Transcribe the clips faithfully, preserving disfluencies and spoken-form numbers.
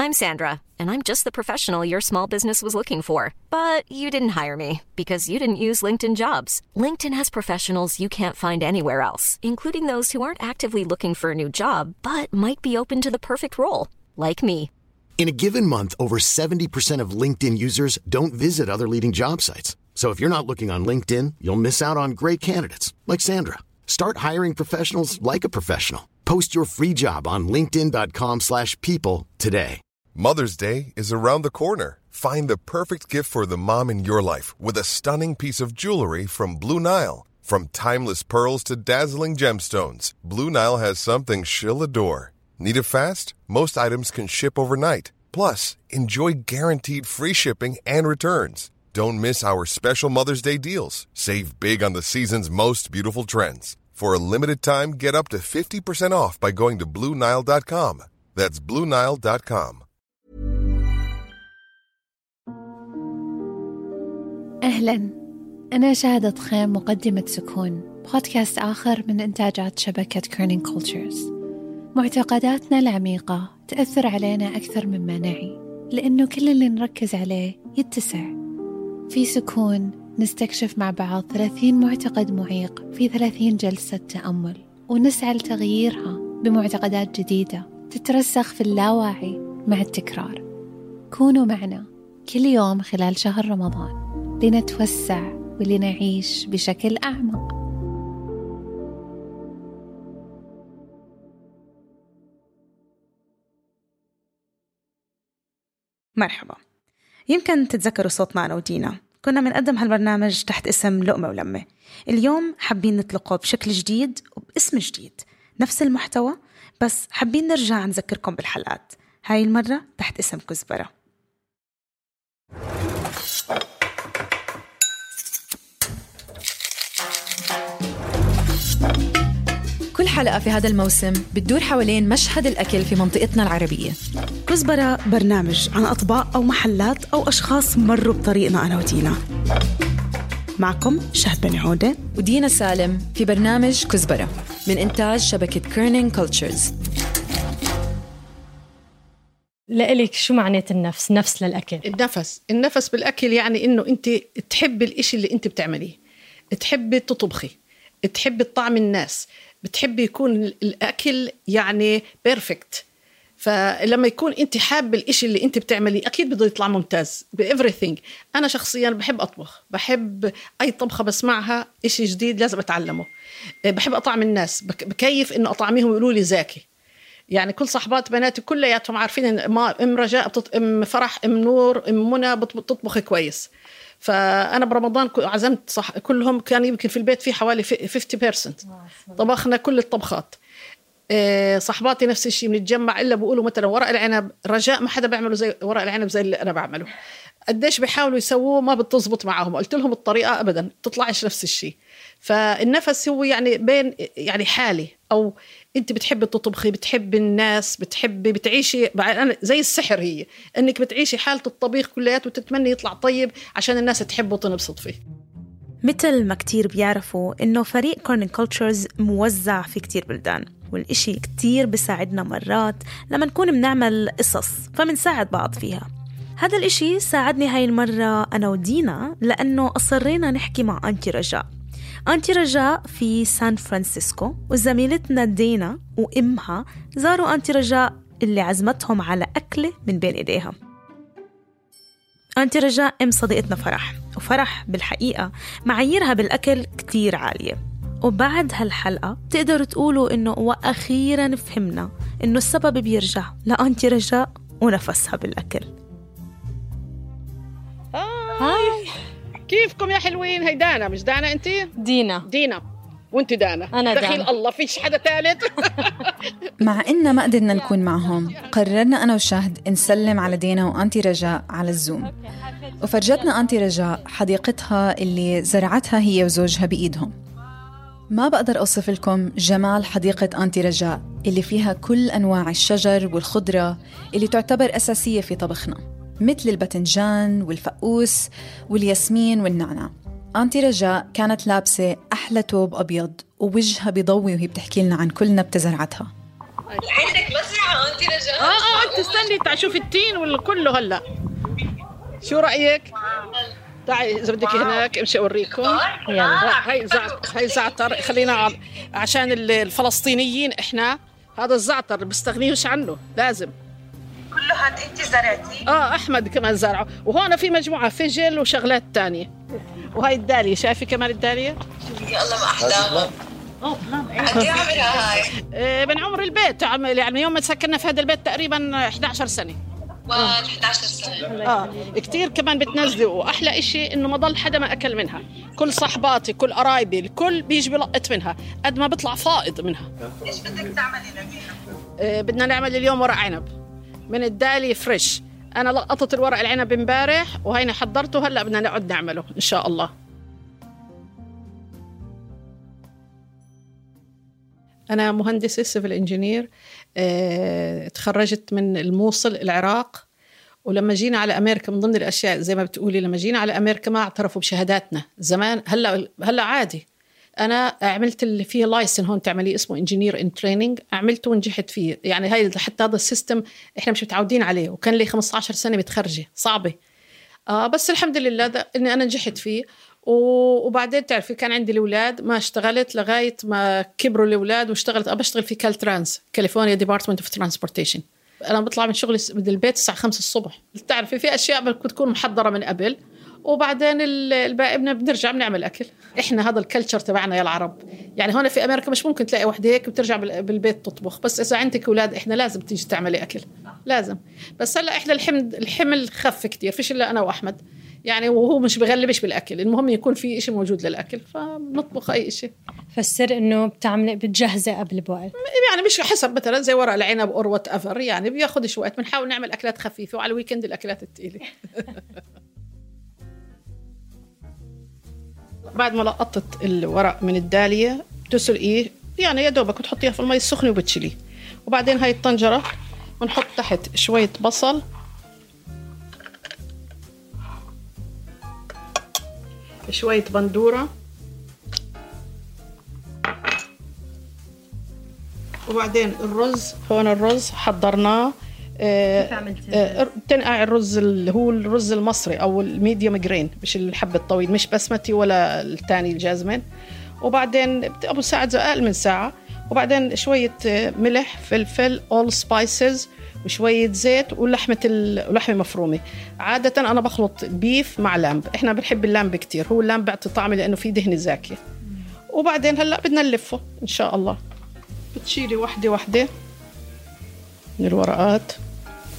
I'm Sandra, and I'm just the professional your small business was looking for. But you didn't hire me because you didn't use LinkedIn Jobs. LinkedIn has professionals you can't find anywhere else, including those who aren't actively looking for a new job, but might be open to the perfect role, like me. In a given month, over seventy percent of LinkedIn users don't visit other leading job sites. So if you're not looking on LinkedIn, you'll miss out on great candidates like Sandra. Start hiring professionals like a professional. Post your free job on linkedin.com slash people today. Mother's Day is around the corner. Find the perfect gift for the mom in your life with a stunning piece of jewelry from Blue Nile. From timeless pearls to dazzling gemstones, Blue Nile has something she'll adore. Need it fast? Most items can ship overnight. Plus, enjoy guaranteed free shipping and returns. Don't miss our special Mother's Day deals. Save big on the season's most beautiful trends. For a limited time, get up to fifty percent off by going to blue nile dot com. That's blue nile dot com. أهلاً، أنا شهادة خيم، مقدمة سكون، بودكاست آخر من إنتاجات شبكة كيرنينج كولتشرز. معتقداتنا العميقة تأثر علينا أكثر مما نعي، لأنه كل اللي نركز عليه يتسع. في سكون نستكشف مع بعض ثلاثين معتقد معيق في ثلاثين جلسة تأمل، ونسعى لتغييرها بمعتقدات جديدة تترسخ في اللاواعي مع التكرار. كونوا معنا كل يوم خلال شهر رمضان لنتوسع ولنعيش بشكل أعمق. مرحبا. يمكن تتذكروا صوتنا أنا ودينا، كنا منقدم هالبرنامج تحت اسم لقمة ولمة. اليوم حابين نطلقه بشكل جديد وباسم جديد، نفس المحتوى بس حابين نرجع نذكركم بالحلقات، هاي المرة تحت اسم كزبرة. كل حلقة في هذا الموسم بتدور حوالين مشهد الأكل في منطقتنا العربية. كزبرة برنامج عن أطباق أو محلات أو أشخاص مروا بطريقنا أنا ودينا. معكم شهد بن عودة ودينا سالم في برنامج كزبرة من إنتاج شبكة كيرنينج كولتشرز. لإلك شو معنات النفس؟ نفس للأكل. النفس النفس بالأكل يعني إنه أنت تحب الإشي اللي أنت بتعمليه، تحبي تطبخي، تحبي طعم الناس، بتحبي يكون الأكل يعني بيرفكت. فلما يكون أنت حابة الإشي اللي أنت بتعمليه أكيد بده يطلع ممتاز بإفريثينج. أنا شخصياً بحب أطبخ، بحب أي طبخة بسمعها إشي جديد لازم أتعلمه. بحب أطعم الناس، بكيف إنه أطعميهم يقولوا لي زاكي. يعني كل صحبات بناتي كلياتهم عارفين إن ما إم رجاء بتط... إم فرح إم نور إم منى بتطبخ كويس. فأنا برمضان عزمت صح كلهم، كان يمكن في البيت في حوالي خمسين بالمية طبخنا كل الطبخات. صحباتي نفس الشيء، بنتجمع إلا بيقولوا مثلا ورق العنب، رجاء ما حدا بيعمله زي ورق العنب زي اللي أنا بعمله. قديش بيحاولوا يسووه ما بتزبط معهم، قلت لهم الطريقة أبدا تطلعش نفس الشيء. فالنفس هو يعني بين يعني حالي، أو أنت بتحبي تطبخي، بتحبي الناس، بتحبي بتعيشي زي السحر، هي أنك بتعيشي حالة الطبيخ كليات وتتمني يطلع طيب عشان الناس تحبه وتنبسط فيه. مثل ما كتير بيعرفوا إنه فريق كيرنينج كولتشرز موزع في كتير بلدان، والإشي كتير بيساعدنا مرات لما نكون بنعمل قصص فمنساعد بعض فيها. هذا الإشي ساعدني هاي المرة أنا ودينا، لأنه أصرينا نحكي مع أنتي رجاء. أنتي رجاء في سان فرانسيسكو، وزميلتنا دينا وإمها زاروا أنتي رجاء اللي عزمتهم على أكلة من بين إيديها. أنتي رجاء أم صديقتنا فرح، وفرح بالحقيقة معاييرها بالأكل كتير عالية. وبعد هالحلقة تقدروا تقولوا إنه وأخيراً فهمنا إنه السبب بيرجع لأنتي رجاء ونفسها بالأكل. هاي كيفكم يا حلوين؟ هي دانا، مش دانا انتي؟ دينا. دينا وانت دانا. أنا دخيل دانا. الله فيش حدا ثالث. مع إننا ما قدرنا نكون معهم، قررنا أنا وشهد نسلم على دينا وأنتي رجاء على الزوم. وفرجتنا أنتي رجاء حديقتها اللي زرعتها هي وزوجها بإيدهم. ما بقدر أوصف لكم جمال حديقة أنتي رجاء اللي فيها كل أنواع الشجر والخضرة اللي تعتبر أساسية في طبخنا، مثل الباذنجان والفقوس والياسمين والنعناع. أنتي رجاء كانت لابسة أحلى توب أبيض، ووجهها بيضوي وهي بتحكي لنا عن كل نبتة زرعتها. عندك مزرعة معه انت رجاء. اه اه انت استني تعي شوفي التين ولا كله هلا. شو رايك؟ تعي اذا بدك هناك امشي اوريكم. يلا هاي زعتر، هاي زعتر خلينا عشان الفلسطينيين احنا هذا الزعتر بيستغنيوش عنه لازم. كله هاد انت زرعتي؟ اه احمد كمان زرعه، وهون في مجموعه فجل وشغلات تانية. وهاي الداليه، شايفه كمان الداليه؟ يا الله ما احلاها. اه قد ايه عمرها هاي؟ من عمر البيت، يعني يوم ما سكننا في هذا البيت تقريبا إحدى عشرة سنة. واو إحدى عشرة سنة. اه كتير كمان بتنزلي، واحلى اشي انه ما ضل حدا ما اكل منها، كل صحباتي كل قرايبي الكل بيجي بلقط منها قد ما بيطلع فائض منها. ايش بدك تعملي نبينا؟ آه بدنا نعمل اليوم ورق عنب من الدالي فريش. انا لقطت الورق العنب امبارح وهينا حضرته، هلا بدنا نقعد نعمله ان شاء الله. أنا مهندسة سيفل إنجينير، اه تخرجت من الموصل العراق. ولما جينا على أمريكا من ضمن الأشياء زي ما بتقولي، لما جينا على أمريكا ما اعترفوا بشهاداتنا زمان. هلا هلا عادي. أنا عملت اللي فيه لايسن هون تعمليه اسمه إنجينير إن تريننج، عملته ونجحت فيه. يعني هاي حتى هذا السيستم إحنا مش متعودين عليه، وكان لي خمسة عشر سنة متخرجة صعبة. آه بس الحمد لله ده إني أنا نجحت فيه. وبعدين تعرفي كان عندي الأولاد، ما اشتغلت لغاية ما كبروا الأولاد، واشتغلت أنا بشتغل في كالترانس كاليفورنيا ديبارتمنت اوف ترانسبورتيشن. أنا بطلع من شغلي من البيت الساعة خمسة الصبح. تعرفي في أشياء بتكون محضرة من قبل، وبعدين الباقي بنرجع بنعمل أكل. إحنا هذا الكلتشر تبعنا يا العرب. يعني هون في أمريكا مش ممكن تلاقي وحدة هيك بترجع بالبيت تطبخ، بس إذا عندك أولاد إحنا لازم تيجي تعملي أكل لازم. بس هلا إحنا الحمد الحمل خف كتير، فيش إلا أنا وأحمد يعني، وهو مش بغلبش بالأكل، المهم يكون في إشي موجود للأكل فنطبخ أي إشي. فالسر إنه بتعملي بتجهزي قبل بوقت، يعني مش حسب مثلا زي ورق العنب أو وات أفر، يعني بياخد شوية. بنحاول نعمل أكلات خفيفة، وعلى الويكند الأكلات الثقيلة. بعد ما لقطت الورق من الدالية بتسلقيه، يعني يا دوبك بتحطيها في المي السخنة وبتشيليه. وبعدين هاي الطنجرة بنحط تحت شوية بصل، شوية بندورة، وبعدين الرز. هون الرز حضرناه. آه تنقع الرز اللي هو الرز المصري أو الميديوم جرين، مش الحب الطويل، مش بسمتي ولا الثاني الجازمين. وبعدين أبو ساعة أقل من ساعة. وبعدين شوية ملح، فلفل، all spices، وشوية زيت، ولحمة ولحمة مفرومة. عادة أنا بخلط البيف مع لامب، إحنا بنحب اللامب كتير، هو اللامب بيعطي طعم لأنه فيه دهن زاكية. وبعدين هلأ بدنا نلفه إن شاء الله. بتشيلي وحدة وحدة من الورقات،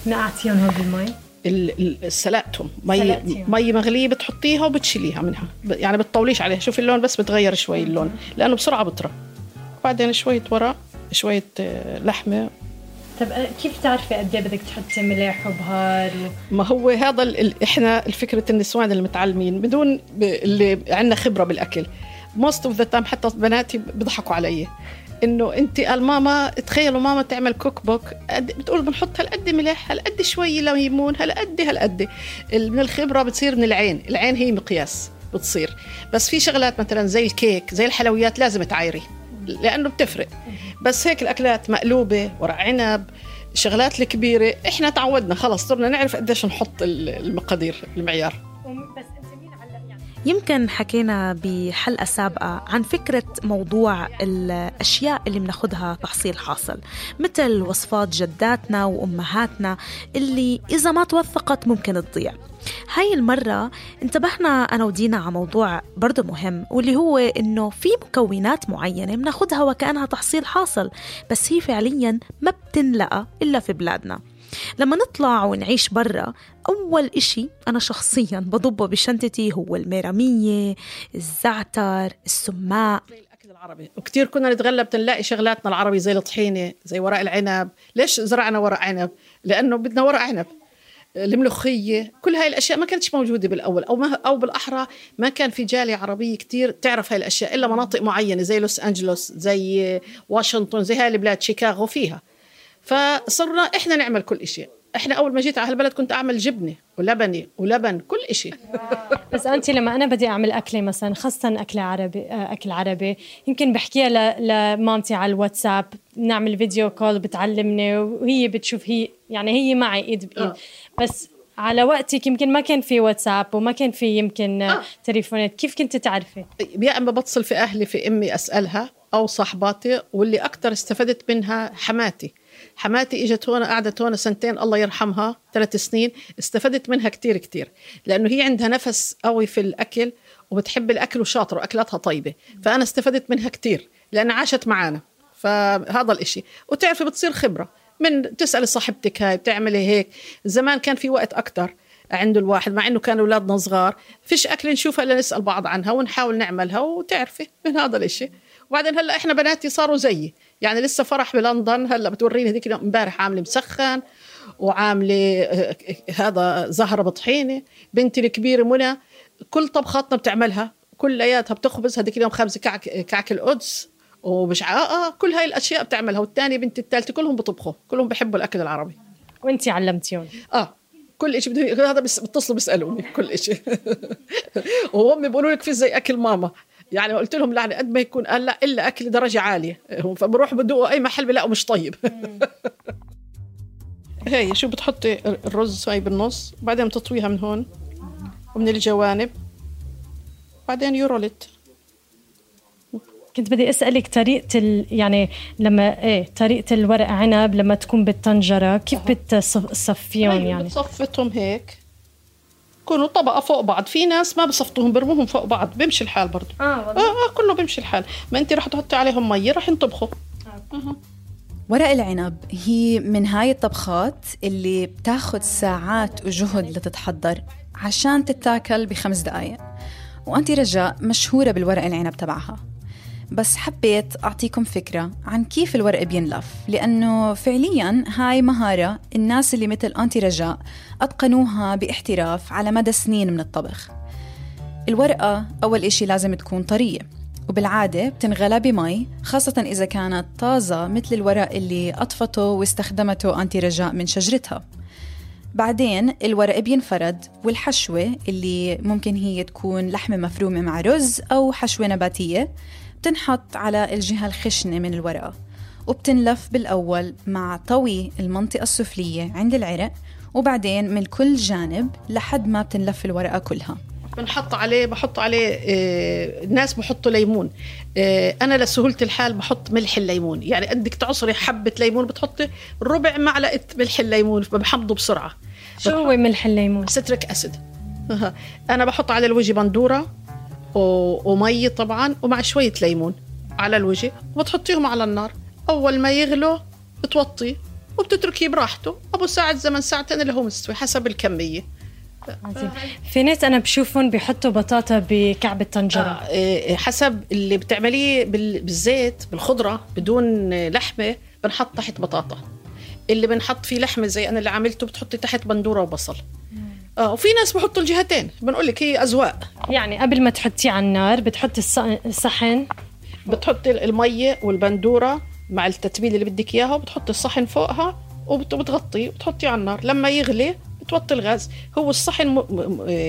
نقعتيهم هون بالمي، سلقتهم مي مي مغلية بتحطيها وبتشيليها منها، يعني بتطوليش عليها. شوفي اللون بس بتغير شوي اللون لأنه بسرعة بطرى. وبعدين شوية ورق، شوية لحمة. طب كيف تعرفي قد ايه بدك تحطي ملح وبهار و... ما هو هذا ال... احنا الفكرة النسوان اللي متعلمين بدون ب... اللي عندنا خبرة بالأكل most of the time، حتى بناتي بيضحكوا علي إنه أنت قال ماما، تخيلوا ماما تعمل كوك بوك بتقول بنحط هالقد ملح، هالقد شوي ليمون، هالقد هالقد. من الخبرة بتصير من العين، العين هي مقياس بتصير. بس في شغلات مثلا زي الكيك زي الحلويات لازم تعايري لأنه بتفرق. بس هيك الأكلات مقلوبة، ورق عنب، شغلات الكبيرة إحنا تعودنا خلاص، صرنا نعرف قديش نحط المقادير المعيار. يمكن حكينا بحلقة سابقة عن فكرة موضوع الأشياء اللي بناخدها تحصيل حاصل، مثل وصفات جداتنا وأمهاتنا اللي إذا ما توثقت ممكن تضيع. هاي المرة انتبهنا أنا ودينا على موضوع برضو مهم، واللي هو إنه في مكونات معينة بناخدها وكأنها تحصيل حاصل، بس هي فعليا ما بتنلقى إلا في بلادنا. لما نطلع ونعيش برا، أول إشي أنا شخصياً بضبه بشنطتي هو الميرامية، الزعتر، السماء، زي الأكل العربي. وكتير كنا نتغلب تنلاقي شغلاتنا العربي زي الطحينة، زي ورق العنب. ليش زرعنا ورق عنب؟ لأنه بدنا ورق عنب. الملوخية، كل هاي الأشياء ما كانتش موجودة بالأول، أو ما أو بالأحرى ما كان في جالية عربية كتير تعرف هاي الأشياء إلا مناطق معينة زي لوس أنجلوس، زي واشنطن، زي هاي البلاد، شيكاغو فيها. فصرنا إحنا نعمل كل إشي. إحنا أول ما جيت على هالبلد كنت أعمل جبنة ولبني ولبن كل إشي. بس أنت لما أنا بدي أعمل أكلة مثلا خاصة أكل عربي أكل عربي يمكن بحكيها لمامتي على الواتساب، نعمل فيديو كول بتعلمني وهي بتشوف، هي يعني هي معي إيد بإيد. آه. بس على وقتك يمكن ما كان في واتساب وما كان في يمكن آه. تليفونات، كيف كنت تعرفي؟ يا أما بتصل في أهلي في أمي أسألها أو صاحباتي، واللي أكتر استفدت منها حماتي. حماتي إجت هون قعدت هون سنتين الله يرحمها، ثلاث سنين، استفدت منها كتير كتير لأنه هي عندها نفس قوي في الأكل وبتحب الأكل وشاطر وأكلاتها طيبة، فأنا استفدت منها كتير لأن عاشت معانا. فهذا الإشي وتعرفي بتصير خبرة من تسأل صاحبتك هاي بتعملي هيك. زمان كان في وقت أكتر عنده الواحد، مع إنه كانوا أولادنا صغار فيش أكل نشوفها إلا نسأل بعض عنها ونحاول نعملها وتعرفي من هذا الإشي. وبعدين هلأ إحنا بناتي صاروا زيي، يعني لسه فرح بلندن هلأ بتوريني هذيك امبارح عاملة مسخن وعاملة هذا زهرة بطحينة. بنتي الكبيرة منى كل طبخاتنا بتعملها كلياتها، بتخبز هذيك اليوم خابزة كعك كعك القدس ومش آه كل هاي الأشياء بتعملها. والتانية بنتي الثالثة كلهم بطبخوا، كلهم بيحبوا الأكل العربي. وانتي علمتيهم؟ آه كل إشي بده هذا بس بتصلوا بيسألوني كل إشي وهم بيقولوا لك في زي أكل ماما. يعني قلت لهم لا قد ما يكون قال لا إلا أكل درجة عالية، فبروح بدوقوا أي محل بلاقوا مش طيب. هاي شو بتحطي الرز هاي بالنص، بعدين بتطويها من هون ومن الجوانب، بعدين يورولت. كنت بدي أسألك طريقة ال... يعني لما إيه طريقة الورق عنب لما تكون بالطنجرة كيف بتصفيهم؟ يعني بتصفتهم هيك كونوا طبقة فوق بعض. في ناس ما بصفتهم برموهم فوق بعض، بيمشي الحال برضو. آه, آه, آه كله بيمشي الحال. ما أنت رح تحطي عليهم مية رح ينطبخوا. آه. آه. ورق العنب هي من هاي الطبخات اللي بتاخد ساعات وجهد لتتحضر عشان تتاكل بخمس دقايق، وأنت رجاء مشهورة بالورق العنب تبعها. بس حبيت أعطيكم فكرة عن كيف الورق بينلف، لأنه فعلياً هاي مهارة الناس اللي مثل أنتي رجاء أتقنوها باحتراف على مدى سنين من الطبخ. الورقة أول إشي لازم تكون طرية، وبالعادة بتنغلى بمي، خاصة إذا كانت طازة مثل الورق اللي أطفته واستخدمته أنتي رجاء من شجرتها. بعدين الورق بينفرد، والحشوة اللي ممكن هي تكون لحمة مفرومة مع رز أو حشوة نباتية بتنحط على الجهة الخشنة من الورقة، وبتنلف بالأول مع طوي المنطقة السفلية عند العرق، وبعدين من كل جانب لحد ما بتنلف الورقة كلها. بنحط عليه بحط عليه آه الناس بحطوا ليمون. آه أنا لسهولة الحال بحط ملح الليمون، يعني بدك تعصري حبة ليمون بتحطي ربع معلقة ملح الليمون فبحمضه بسرعة. شو هو ملح الليمون؟ ستريك أسيد. أنا بحط على الوجه بندورة ومي طبعا ومع شوية ليمون على الوجه، وبتحطيهم على النار. أول ما يغلو بتوطي وبتتركيه براحته أبو ساعة زمن ساعتين اللي هو مستوي حسب الكمية. عظيم. في ناس أنا بشوفهم بيحطوا بطاطا بكعب الطنجرة. آه حسب اللي بتعمليه بالزيت بالخضرة بدون لحمة بنحط تحت بطاطا، اللي بنحط فيه لحمة زي أنا اللي عملته بتحطي تحت بندورة وبصل. آه وفي ناس بحطوا الجهتين، بنقولك هي أذواق. يعني قبل ما تحطيه على النار بتحطي الصحن، بتحطي المية والبندورة مع التتبيل اللي بدك إياها، وبتحطي الصحن فوقها وبتغطيه وبتحطيه على النار. لما يغلي بتوطي الغاز. هو الصحن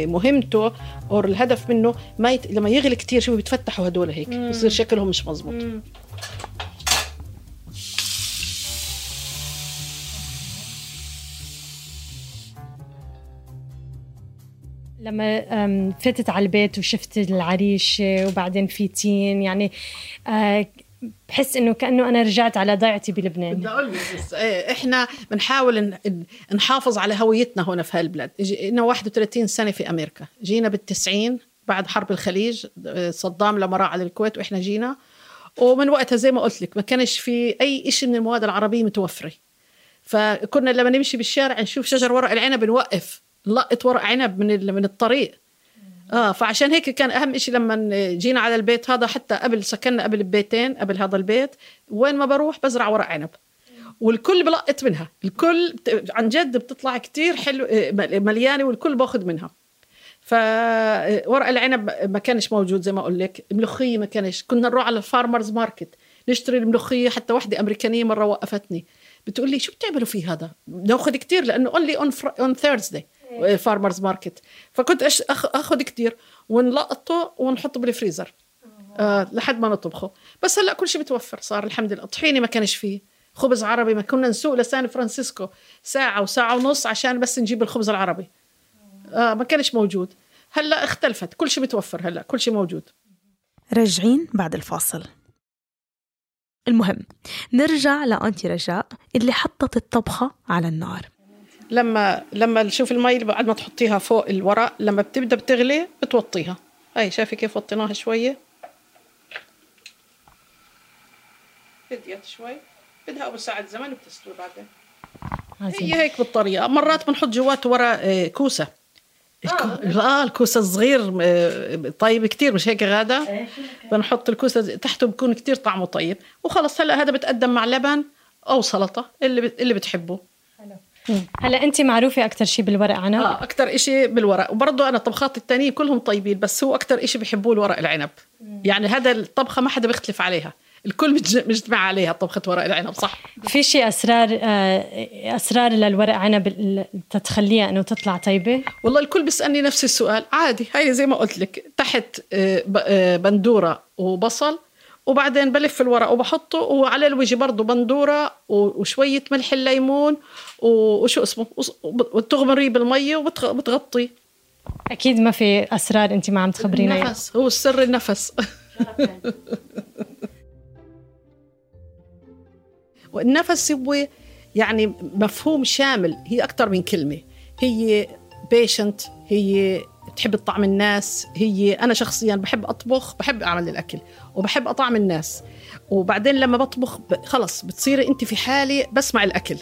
مهمته أو الهدف منه ما يت... لما يغلي كتير شو بيتفتحوا هدول هيك بصير شكلهم مش مزبوط. مم. لما فتت على البيت وشفت العريشة وبعدين في تين، يعني بحس إنه كأنه أنا رجعت على ضيعتي بلبنان. بدي أقول بس إحنا بنحاول نحافظ على هويتنا هنا في هالبلاد. إنه واحد وثلاثين سنة في أمريكا، جينا بالتسعين بعد حرب الخليج، صدام لما راح على الكويت وإحنا جينا، ومن وقتها زي ما قلت لك ما كانش في أي إشي من المواد العربية متوفرة. فكنا لما نمشي بالشارع نشوف شجر ورق العنب نوقف نلقط ورق عنب من من الطريق. آه فعشان هيك كان أهم إشي لما جينا على البيت هذا، حتى قبل سكننا قبل ببيتين قبل هذا البيت، وين ما بروح بزرع ورق عنب والكل بلقط منها، الكل عن جد بتطلع كتير حلو مليانة والكل باخد منها. فورق العنب ما كانش موجود زي ما أقول لك. الملوخية ما كانش، كنا نروح على الفارمرز ماركت نشتري الملوخية. حتى واحدة أمريكانية مرة وقفتني بتقول لي شو بتعملوا فيه هذا؟ ناخذ كتير لأنه only on, fr- on Thursday farmers market. فكنت أش- أخ- أخذ كتير ونلقطه ونحطه بالفريزر آه لحد ما نطبخه. بس هلأ كل شيء بتوفر صار الحمد لله. طحيني ما كانش فيه، خبز عربي ما كنا نسوق لسان فرانسيسكو ساعة وساعة ونص عشان بس نجيب الخبز العربي آه ما كانش موجود. هلأ اختلفت، كل شيء بتوفر هلأ، كل شيء موجود. راجعين بعد الفاصل. المهم نرجع لأنتي رجاء اللي حطت الطبخة على النار. لما لما نشوف المي بعد ما تحطيها فوق الورق لما بتبدأ بتغلي بتوطيها. هاي شايفة كيف وطيناها شوية، بديت شوي، بدها أبو ساعة زمن وبتستوي بعدين. هي هيك بالطريقة. مرات بنحط جواته ورا كوسة. آه الكوسة الصغير طيب كتير، مش هيك غادة؟ بنحط الكوسة تحته بيكون كتير طعمه طيب. وخلص هلأ هذا بتقدم مع لبن أو سلطة اللي اللي بتحبه. هلا انت معروفه اكثر شيء بالورق عنب؟ اه اكثر إشي بالورق. وبرضه انا طبخات التانية كلهم طيبين، بس هو اكثر إشي بحبوه الورق العنب. مم. يعني هذا الطبخه ما حدا بيختلف عليها، الكل مجتمع عليها طبخه ورق العنب. صح. في شيء اسرار اسرار للورق عنب تتخليها انه تطلع طيبه؟ والله الكل بيسالني نفس السؤال عادي. هاي زي ما قلت لك، تحت بندوره وبصل وبعدين بلف الورق وبحطه، وعلى الوجه برضه بندورة وشوية ملح الليمون وشو اسمه وتغمريه بالمية وبتغطيه. أكيد ما في أسرار أنت ما عم تخبرينا. النفس هو السر، النفس. والنفس هو يعني مفهوم شامل، هي أكتر من كلمة. هي patient، هي بتحب الطعم الناس. هي أنا شخصياً بحب أطبخ، بحب أعمل الأكل وبحب أطعم الناس. وبعدين لما بطبخ خلص بتصيري أنت في حالي بسمع الأكل.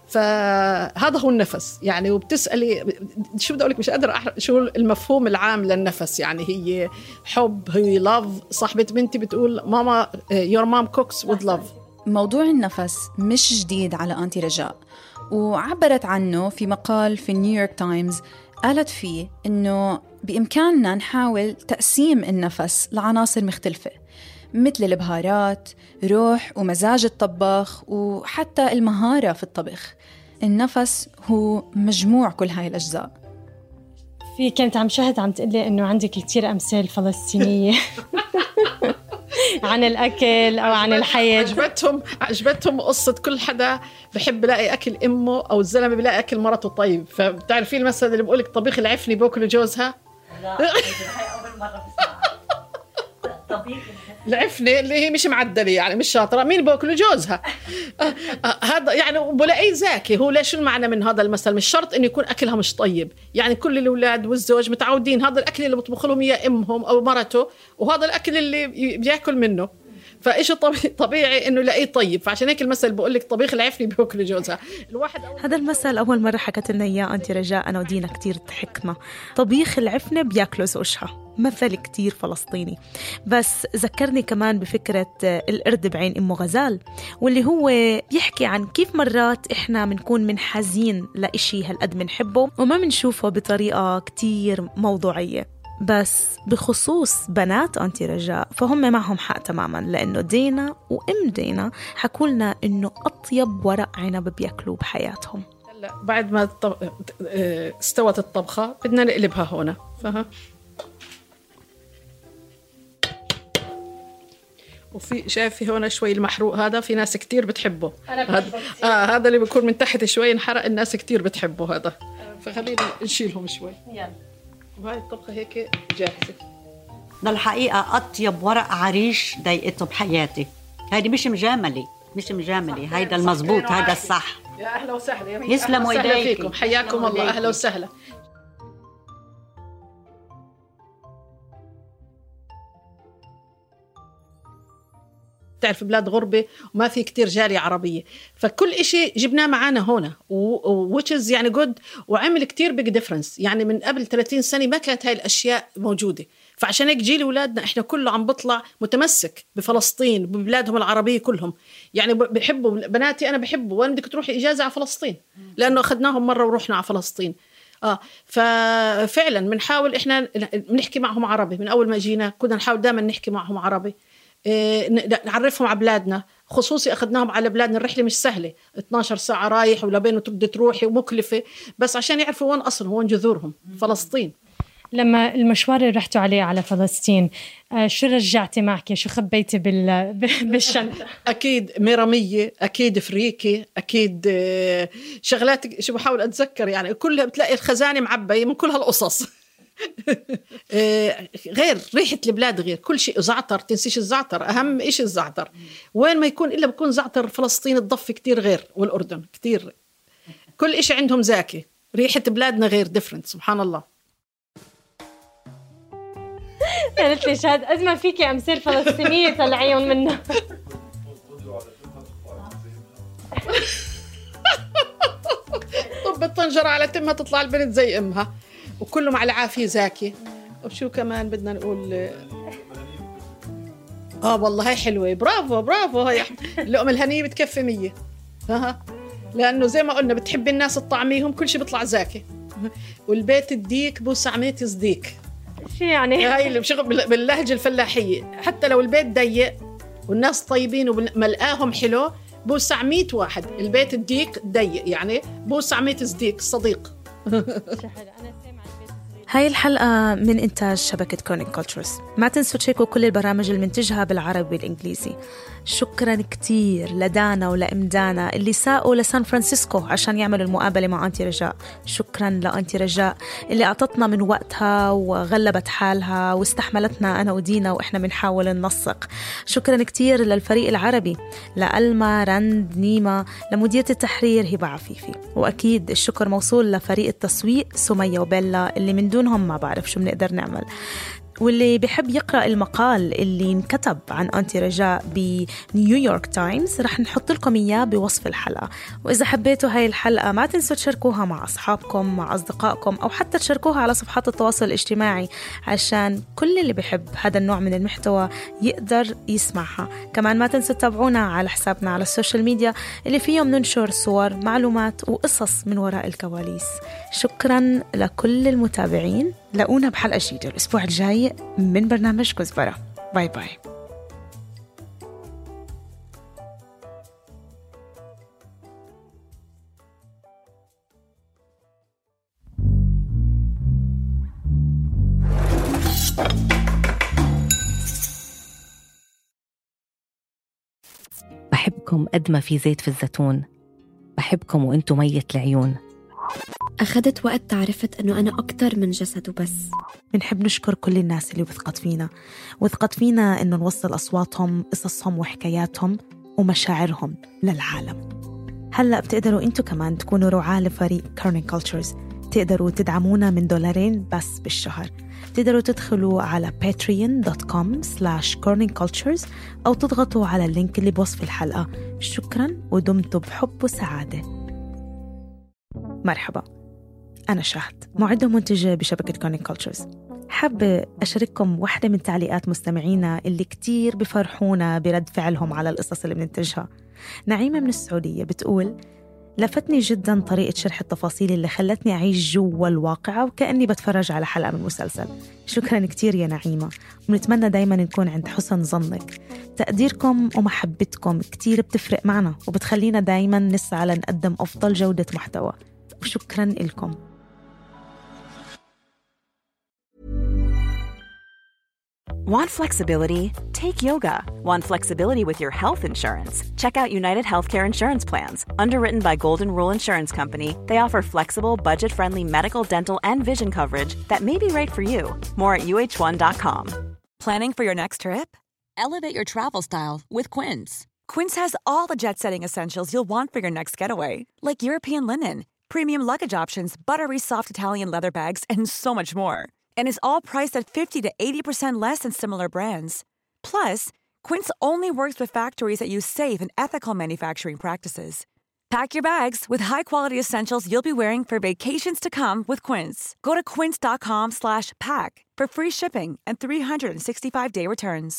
فهذا هو النفس يعني. وبتسألي شو بدي أقولك، مش قادر أحرق شو المفهوم العام للنفس. يعني هي حب، هي love. صاحبة بنتي بتقول ماما your mom cooks with love. موضوع النفس مش جديد على أنتي رجاء، وعبرت عنه في مقال في نيويورك تايمز. قالت فيه إنه بإمكاننا نحاول تقسيم النفس لعناصر مختلفة، مثل البهارات، روح ومزاج الطباخ، وحتى المهارة في الطبخ. النفس هو مجموع كل هاي الأجزاء. في كنت عم شاهد عم تقلي إنه عندك كتير أمثال فلسطينية عن الأكل أو عن الحياة. عجبتهم عجبتهم قصة كل حدا بحب يلاقي أكل أمه، أو الزلمة بيلاقي أكل مرته طيب. فبتعرفين المثل اللي بقولك طبيخ العفني بوكل جوزها؟ لا هاي أول مرة بسمعها. العفنة اللي هي مش معدلة يعني مش شاطرة، مين بوكل جوزها؟ آه آه هذا يعني بلاقيه ذكي. هو ليش المعنى من هذا المثل؟ مش شرط إنه يكون أكلها مش طيب. يعني كل الأولاد والزوج متعودين هذا الأكل اللي بطبخ لهم إياه أمهم أو مرته، وهذا الأكل اللي بياكل منه. فإيش طبيعي إنه لاقيه طيب. فعشان هيك المثل بقول لك طبيخ العفني بوكل جوزها. الواحد هذا المثل أول مرة حكت لنا إياه أنتي رجاء، أنا ودينا كتير ضحكنا. طبيخ العفنة بياكلوا زوجها، مثل كتير فلسطيني. بس ذكرني كمان بفكرة القرد بعين أم غزال، واللي هو بيحكي عن كيف مرات إحنا منكون منحازين لإشي هالقد منحبه وما منشوفه بطريقة كتير موضوعية. بس بخصوص بنات أنتي رجاء فهم معهم حق تماماً، لأنه دينا وأم دينا حكولنا إنه أطيب ورق عنب بياكلوه بحياتهم. بعد ما استوت الطبخة بدنا نقلبها هنا. فها وفي شايف هنا شوي المحروق هذا، في ناس كتير بتحبه. هذا آه هذا اللي بيكون من تحت شوي انحرق، الناس كتير بتحبه هذا. فخلينا نشيلهم شوي. يلا. وهاي الطبخة هيك جاهزة. للحقيقة أطيب ورق عريش ضايقته بحياتي. هيدي مش مجاملة، مش مجاملة، هيدا المزبوط، هيدا الصح. يا أهلا وسهلا. يسلموا إيديكم. حياكم الله. أهلا وسهلا. تعرف بلاد غربة وما في كتير جالية عربية، فكل إشي جبناه معانا هنا ووتشز يعني جود، وعمل كتير بيج ديفرنس. يعني من قبل ثلاثين سنة ما كانت هاي الأشياء موجودة. فعشان هيك جيل أولادنا إحنا كله عم بطلع متمسك بفلسطين ببلادهم العربية كلهم. يعني بحبوا بناتي، أنا بحبه، وأنا بدك تروحي إجازة على فلسطين لأنه أخذناهم مرة ورحنا على فلسطين. آه ففعلا بنحاول إحنا نحكي معهم عربي. من أول ما جينا كنا نحاول دائما نحكي معهم عربي. نعرفهم على بلادنا، خصوصي أخذناهم على بلادنا. الرحلة مش سهلة، اثناشر ساعة رايح ولبين وتبدي تروحي ومكلفة، بس عشان يعرفوا وين أصلهم وين جذورهم، فلسطين. لما المشوار اللي رحتوا عليه على فلسطين، شو رجعتي معك؟ شو خبيتي بال... بالشنطة؟ أكيد ميرامية، أكيد فريكي، أكيد شغلات شو بحاول أتذكر يعني كلها بتلاقي الخزانة معبية من كل هالقصص. غير ريحة البلاد، غير كل شيء. زعتر، تنسيش الزعتر، أهم إيش الزعتر. وين ما يكون إلا بكون زعتر فلسطين الضف كتير غير، والأردن كتير. كل إشي عندهم زاكي. ريحة بلادنا غير، ديفرنت. سبحان الله. قالت لي شاد قد ما فيكي أمثال فلسطينية طلعيهم منها. طب الطنجرة على تمها تطلع البنت زي أمها، وكله مع العافية زاكي. وشو كمان بدنا نقول؟ آه والله هاي حلوة، برافو برافو. هاي اللقمة الهنية بتكفي مية. ها، لأنه زي ما قلنا بتحب الناس تطعميهم، كل شيء بيطلع زاكي. والبيت الديك بوس عميت صديق. شو يعني؟ هاي اللي بشغل باللهجة الفلاحية. حتى لو البيت ضيق والناس طيبين وملقاهم حلو، بوس عميت واحد. البيت الديك ضيق يعني بوس عميت صديق، صديق. هاي الحلقة من إنتاج شبكة كورنينج كولتشرز. ما تنسوا تشيكوا كل البرامج اللي منتجها بالعربي والإنجليزي. شكراً كتير لدانا ولإمدانا اللي ساقوا لسان فرانسيسكو عشان يعملوا المقابلة مع أنتي رجاء. شكراً لأنتي رجاء اللي أعطتنا من وقتها وغلبت حالها واستحملتنا أنا ودينا وإحنا بنحاول ننسق. شكراً كتير للفريق العربي، لألما، رند، نيمة، لمديرة التحرير هبة عفيفي، وأكيد الشكر موصول لفريق التسويق سمية وبيلا اللي من دونهم ما بعرف شو بنقدر نعمل. واللي بيحب يقرأ المقال اللي انكتب عن أنتي رجاء بنيويورك تايمز رح نحط لكم إياه بوصف الحلقة. وإذا حبيتوا هاي الحلقة ما تنسوا تشاركوها مع أصحابكم، مع أصدقائكم، أو حتى تشاركوها على صفحات التواصل الاجتماعي عشان كل اللي بيحب هذا النوع من المحتوى يقدر يسمعها. كمان ما تنسوا تتابعونا على حسابنا على السوشيال ميديا اللي فيهم ننشر صور، معلومات وقصص من وراء الكواليس. شكراً لكل المتابعين. لاقونا بحلقة جديدة الأسبوع الجاي من برنامج كزبرة. باي باي. بحبكم قد ما في زيت في الزيتون، بحبكم وانتم مية العيون. أخذت وقت تعرفت أنه أنا أكتر من جسد وبس. بنحب نشكر كل الناس اللي وثقت فينا وثقت فينا أنه نوصل أصواتهم، قصصهم وحكاياتهم ومشاعرهم للعالم. هلأ بتقدروا أنتوا كمان تكونوا رعاة لفريق كورنينج كولتشرز. تقدروا تدعمونا من دولارين بس بالشهر. تقدروا تدخلوا على باتريون دوت كوم سلاش كورنينج كولتشرز أو تضغطوا على اللينك اللي بوصف الحلقة. شكراً ودمتوا بحب وسعادة. مرحبا، أنا شهد، معدة ومنتجة بشبكة كورنينج كولتشرز. حابة أشارككم واحدة من تعليقات مستمعينا اللي كتير بفرحونا برد فعلهم على القصص اللي بننتجها. نعيمة من السعودية بتقول: لفتني جدا طريقة شرح التفاصيل اللي خلتني أعيش جوا الواقعة وكأني بتفرج على حلقة من مسلسل. شكرا كتير يا نعيمة، ونتمنى دايما نكون عند حسن ظنك. تقديركم ومحبتكم كتير بتفرق معنا وبتخلينا دايما نسعى لنقدم أفضل جودة محتوى، وشكرا لكم. Want flexibility? Take yoga. Want flexibility with your health insurance? Check out United Healthcare Insurance Plans. Underwritten by Golden Rule Insurance Company, they offer flexible, budget-friendly medical, dental, and vision coverage that may be right for you. More at U H one dot com. Planning for your next trip? Elevate your travel style with Quince. Quince has all the jet-setting essentials you'll want for your next getaway, like European linen, premium luggage options, buttery soft Italian leather bags, and so much more. And is all priced at fifty to eighty percent less than similar brands. Plus, Quince only works with factories that use safe and ethical manufacturing practices. Pack your bags with high-quality essentials you'll be wearing for vacations to come with Quince. Go to quince dot com slash pack for free shipping and three hundred sixty-five day returns.